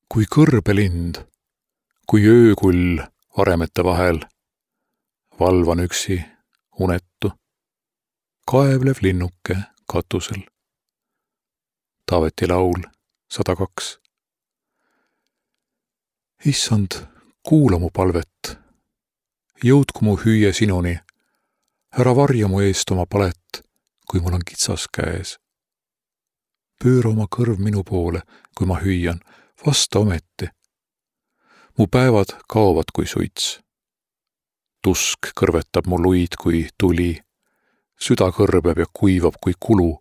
Kui kõrbelind, kui öökull varemete vahel, valvan üksi unettu, kaevlev linnuke katusel. Taaveti laul 102. Issand, kuula mu palvet, jõudku mu hüüe sinuni, ära varja mu eest oma palet, kui mul on kitsas käes. Pööra oma kõrv minu poole, kui ma hüüan, vasta ometi. Mu päevad kaovad kui suits. Tusk kõrvetab mu luid kui tuli, süda kõrbeb ja kuivab kui kulu.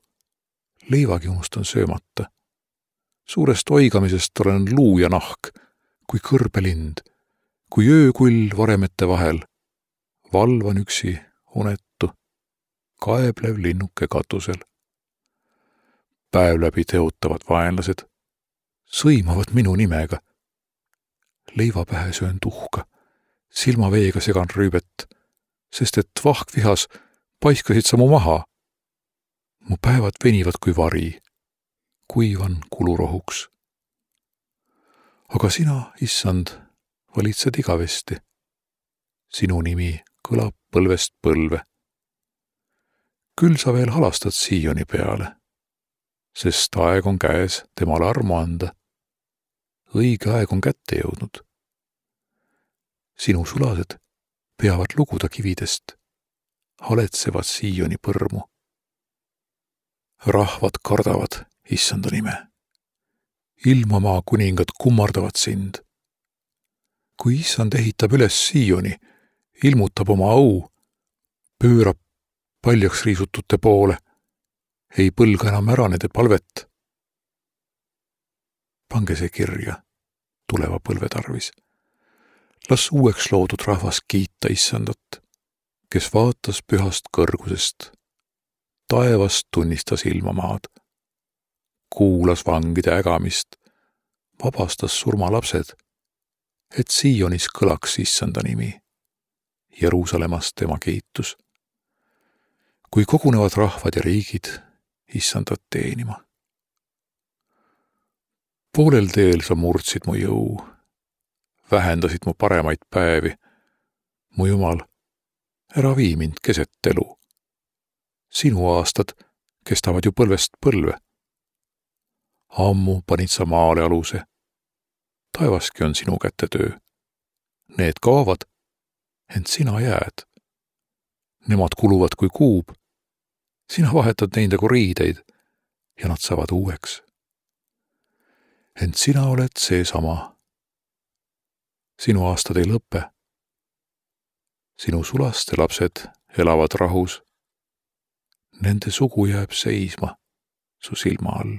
Leivagi unustan söömata. Suurest oigamisest olen luu ja nahk, kui kõrbelind, kui öökull varemete vahel, valvan üksi unettu, kaeblev linnuke katusel. Päev läbi teotavad vaenlased, sõimavad minu nimega. Leiva pähe söön tuhka, silmaveega segan rüübet, sest et vahkvihas paiskasid sa mu maha. Mu päevad venivad kui vari, kuivan kulurohuks. Aga sina, issand, valitsed igavesti. Sinu nimi kõlab põlvest põlve. Küll sa veel halastad Sioni peale, sest aeg on käes temale armu anda. Õige aeg on kätte jõudnud. Sinu sulased peavad luguda kividest, haletsevad Sioni põrmu. Rahvad kardavad issanda nime. Ilmamaa kuningad kummardavad sind. Kui issand ehitab üles Sioni, ilmutab oma au, pöörab paljaks riisutute poole, ei põlga enam ära nende palvet. Pange see kirja tuleva põlve tarvis. Las uueks loodud rahvas kiita issandat, kes vaatas pühast kõrgusest, taevast tunnistas ilmamaad, kuulas vangide ägamist, vabastas surmalapsed, et Sionis kõlaks issanda nimi, Jeruusalemmas tema kiitus. Kui kogunevad rahvad ja riigid issandat teenima. Poolel teel sa murdsid mu jõu, vähendasid mu paremaid päevi. Mu Jumal, ära vii mind keset elu. Sinu aastad kestavad ju põlvest põlve. Ammu panid sa maale aluse. Taevaski on sinu kätte töö. Need kaovad, ent sina jääd. Nemad kuluvad kui kuub. Sina vahetad neid nagu riideid ja nad saavad uueks. Ent sina oled seesama. Sinu aastad ei lõppe. Sinu sulaste lapsed elavad rahus. Nende sugu jääb seisma su silma all.